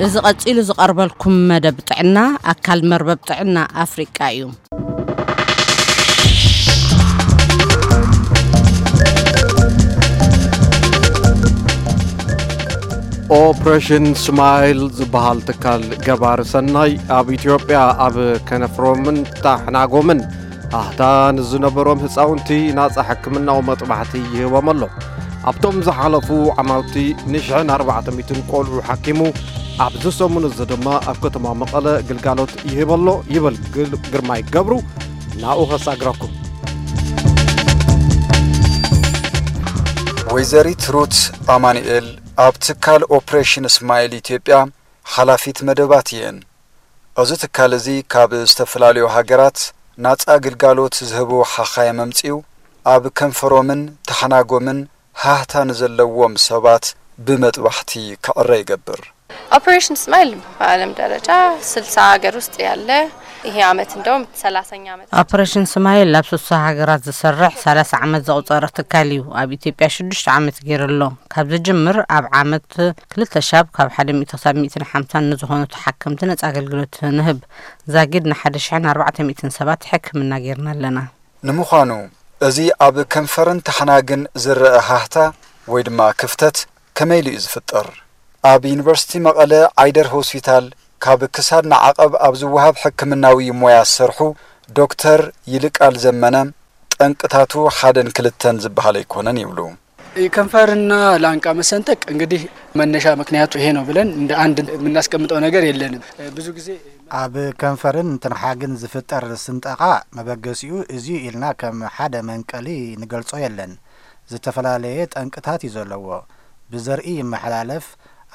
እዚ ቀጺሉ ዝቐርበልኩም መደብ ጥዕና ኣካል መርበብ ጥዕና ኣፍሪቃ እዩ። ኦፕሬሽን ስማይል ዝበሃል ትካል ገባሪ ሰናይ ኣብ ኢትዮጵያ ኣብ ከነፍሮምን ታሕናጎምን ኣህታ ንዝነበሮም ህፃውንቲ ናፃ ሕክምናዊ መጥባሕቲ ይህቦም ኣሎ። ኣብቶም ዝሓለፉ ዓማውቲ ንሽሕን ኣርባዕተ ሚእትን ቆልዑ ሓኪሙ ኣብዚ ሰሙን እዚ ድማ ኣብ ከተማ መቐለ ግልጋሎት ይህብ ኣሎ ይብል ግል- ግርማይ ገብሩ። ናብኡ ከሳግረኩም። ወይዘሪት ሩት ኣማኑኤል ኣብ ትካል ኦፕሬሽን ስማይል ኢትዮጵያ ሓላፊት መደባት እየን። እዚ ትካል እዚ ካብ ዝተፈላለዩ ሃገራት ናጻ ግልጋሎት ዝህቡ ሓኻይም ኣምጺኡ ኣብ ከንፈሮምን ተሓናጎምን ሃህታ ንዘለዎም ሰባት ብመጥባሕቲ ክዕረ ይገብር። ኦፕሬሽን ስማይል በዓለም ደረጃ ስልሳ ሀገር ውስጥ ያለ፣ ይሄ አመት እንደውም ሰላሳኛ አመት። ኦፕሬሽን ስማይል ኣብ ስሳ ሃገራት ዝሰርሕ ሰላሳ ዓመት ዘቑፀረ ትካል እዩ። ኣብ ኢትዮጵያ ሽዱሽተ ዓመት ገይሩ ኣሎ። ካብ ዝጅምር ኣብ ዓመት ክልተ ሻብ ካብ ሓደ ሚእቲ ክሳብ ሚእትን ሓምሳን ንዝኾኑ ተሓከምቲ ነፃ ኣገልግሎት ንህብ። ዛጊድ ንሓደ ሽሕን ኣርባዕተ ሚእትን ሰባት ሕክምና ገይርና ኣለና። ንምዃኑ እዚ ኣብ ከንፈርን ተሓናግን ዝረአ ሃህታ ወይ ድማ ክፍተት ከመይ ኢሉ እዩ ዝፍጠር? ኣብ ዩኒቨርሲቲ መቐለ ዓይደር ሆስፒታል ካብ ክሳድ ንዓቐብ ኣብ ዝወሃብ ሕክምናዊ ሞያ ዝሰርሑ ዶክተር ይልቃል ዘመነ፣ ጠንቅታቱ ሓደን ክልተን ዝበሃል ኣይኮነን ይብሉ። ከንፈርና ላንቃ መሰንጠቅ እንግዲህ መነሻ ምክንያቱ ይሄ ነው ብለን እንደ አንድ የምናስቀምጠው ነገር የለንም። ብዙ ጊዜ ኣብ ከንፈርን ትንሓግን ዝፍጠር ስንጠቓ መበገሲኡ እዚ ኢልና ከም ሓደ መንቀሊ ንገልጾ የለን። ዝተፈላለየ ጠንቅታት እዩ ዘለዎ። ብዘርኢ ይመሓላለፍ።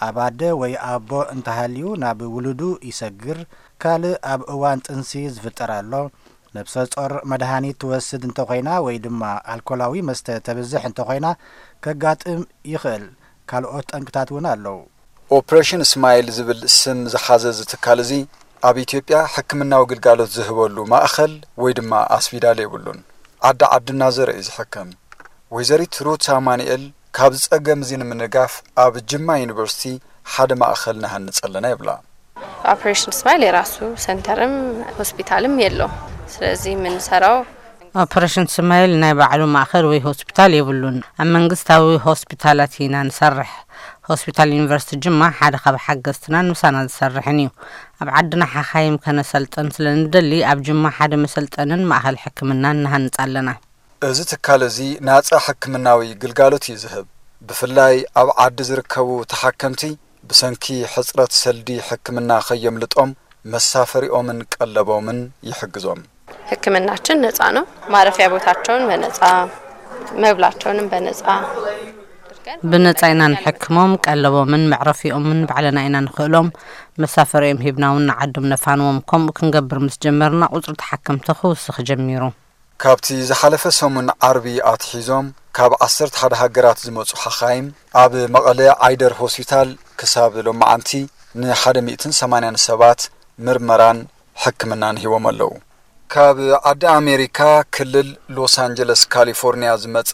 ኣብ ኣደ ወይ ኣቦ እንተሃልዩ ናብ ውሉዱ ይሰግር። ካልእ ኣብ እዋን ጥንሲ ዝፍጠር ኣሎ። ነብሰ ጾር መድሃኒት ትወስድ እንተኾይና ወይ ድማ ኣልኮላዊ መስተ ተብዝሕ እንተኾይና ከጋጥም ይኽእል። ካልኦት ጠንቅታት እውን ኣለዉ። ኦፕሬሽን ስማይል ዝብል ስም ዝሓዘ እዚ ትካል እዚ ኣብ ኢትዮጵያ ሕክምናዊ ግልጋሎት ዝህበሉ ማእኸል ወይ ድማ ኣስፒዳል የብሉን። ዓዲ ዓዲ እናዘረ እዩ ዝሕከም። ወይዘሪት ሩት ኣማኑኤል ካብዚ ጸገም እዚ ንምንጋፍ ኣብ ጅማ ዩኒቨርሲቲ ሓደ ማእኸል ንሃንጽ ኣለና ይብላ። ኦፕሬሽን ስማይል የራሱ ሰንተርም ሆስፒታልም የለውም። ስለዚህ የምንሰራው ኦፕሬሽን ስማይል ናይ ባዕሉ ማእኸል ወይ ሆስፒታል የብሉን። ኣብ መንግስታዊ ሆስፒታላት ኢና ንሰርሕ። ሆስፒታል ዩኒቨርሲቲ ጅማ ሓደ ካብ ሓገዝትናን ምሳና ዝሰርሕን እዩ። ኣብ ዓድና ሓኻይም ከነሰልጥን ስለ ንደሊ ኣብ ጅማ ሓደ መሰልጠንን ማእኸል ሕክምናን ንሃንጽ ኣለና። እዚ ትካል እዚ ናጻ ሕክምናዊ ግልጋሎት እዩ ዝህብ። ብፍላይ ኣብ ዓዲ ዝርከቡ ተሓከምቲ ብሰንኪ ሕጽረት ሰልዲ ሕክምና ከየምልጦም መሳፈሪኦምን ቀለቦምን ይሕግዞም። ሕክምናችን ነጻ ነው። ማረፊያ ቦታቸውን በነጻ፣ መብላቸውንም በነጻ። ብነጻ ኢና ንሕክሞም፣ ቀለቦምን መዕረፊኦምን ባዕልና ኢና ንኽእሎም። መሳፈሪኦም ሂብና እውን ንዓዶም ነፋንዎም። ከምኡ ክንገብር ምስ ጀመርና ቁጽሪ ተሓከምቲ ክውስኽ ጀሚሩ። ካብቲ ዝሓለፈ ሰሙን ዓርቢ ኣትሒዞም ካብ ዓሰርተ ሓደ ሃገራት ዝመጹ ሓኻይም ኣብ መቐለ ዓይደር ሆስፒታል ክሳብ ሎማዓንቲ ንሓደ ሚእትን ሰማንያን ሰባት ምርመራን ሕክምናን ሂቦም ኣለዉ። ካብ ዓዲ ኣሜሪካ ክልል ሎስ ኣንጀለስ ካሊፎርኒያ ዝመጸ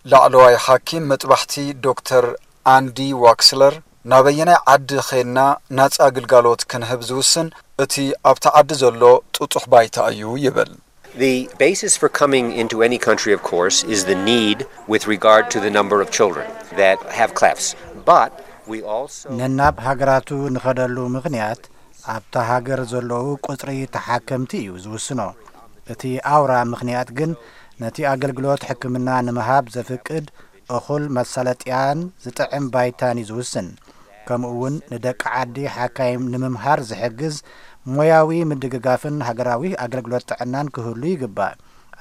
ላዕለዋይ ሓኪም መጥባሕቲ ዶክተር ኣንዲ ዋክስለር፣ ናበየናይ ዓዲ ኸይድና ናጻ ግልጋሎት ክንህብ ዝውስን እቲ ኣብቲ ዓዲ ዘሎ ጥጡሕ ባይታ እዩ ይብል። The basis for coming into any country, of course, is the need with regard to the number of children that have clefts. But we also ነናብ ሃገራቱ ንኸደሉ ምኽንያት ኣብታ ሃገር ዘለዉ ቁጽሪ ተሓከምቲ እዩ ዝውስኖ። እቲ ኣውራ ምኽንያት ግን ነቲ ኣገልግሎት ሕክምና ንምሃብ ዘፍቅድ እኹል መሳለጥያን ዝጥዕም ባይታን እዩ ዝውስን። ከምኡ እውን ንደቂ ዓዲ ሓካይም ንምምሃር ዝሕግዝ ሞያዊ ምድግጋፍን ሃገራዊ ኣገልግሎት ጥዕናን ክህሉ ይግባእ።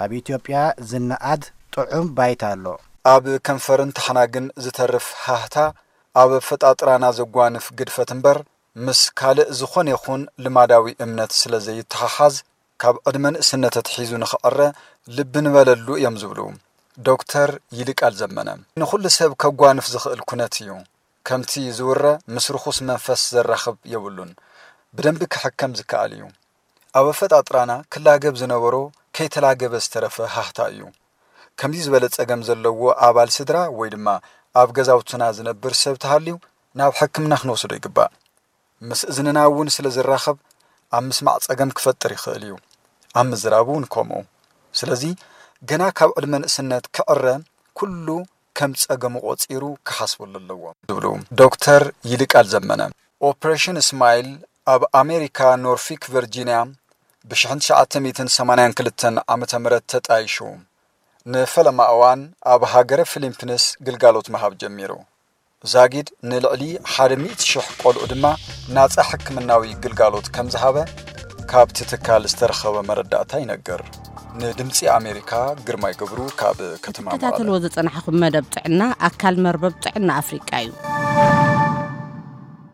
ኣብ ኢትዮጵያ ዝነኣድ ጥዑም ባይታ ኣሎ። ኣብ ከንፈርን ተሓናግን ዝተርፍ ሃህታ ኣብ ኣፈጣጥራና ዘጓንፍ ግድፈት እምበር ምስ ካልእ ዝኾነ ይኹን ልማዳዊ እምነት ስለ ዘይተሓሓዝ ካብ ዕድመ ንእስነት ኣትሒዙ ንኽዕረ ልቢ ንበለሉ እዮም ዝብሉ ዶክተር ይልቃል ዘመነ። ንኹሉ ሰብ ከጓንፍ ዝኽእል ኩነት እዩ። ከምቲ ዝውረ ምስ ርኹስ መንፈስ ዘራኽብ የብሉን። ብደንቢ ክሕከም ዝከኣል እዩ። ኣብ ኣፈጣጥራና ክላገብ ዝነበሮ ከይተላገበ ዝተረፈ ሃህታ እዩ። ከምዚ ዝበለ ጸገም ዘለዎ ኣባል ስድራ ወይ ድማ ኣብ ገዛውትና ዝነብር ሰብ ተሃልዩ ናብ ሕክምና ክንወስዶ ይግባእ። ምስ እዝንና እውን ስለ ዝራኸብ ኣብ ምስማዕ ጸገም ክፈጥር ይኽእል እዩ። ኣብ ምዝራብ እውን ከምኡ። ስለዚ ገና ካብ ዕድመ ንእስነት ክዕረ ኩሉ ከም ጸገሙ ቆጺሩ ክሓስበሉ ኣለዎ ዝብሉ ዶክተር ይልቃል ዘመነ። ኦፕሬሽን ስማይል ኣብ ኣሜሪካ ኖርፊክ ቨርጂንያ ብ1982 ዓመተ ምህረት ተጣይሹ ንፈለማ እዋን ኣብ ሃገረ ፊሊፒንስ ግልጋሎት ምሃብ ጀሚሩ። ዛጊድ ንልዕሊ ሓደ ሚእቲ ሽሕ ቆልዑ ድማ ናጻ ሕክምናዊ ግልጋሎት ከም ዝሃበ ካብቲ ትካል ዝተረኸበ መረዳእታ ይነግር። ንድምጺ ኣሜሪካ ግርማይ ገብሩ ካብ ከተማ መቐለ። ትከታተልዎ ዝጸናሕኹም መደብ ጥዕና ኣካል መርበብ ጥዕና ኣፍሪቃ እዩ።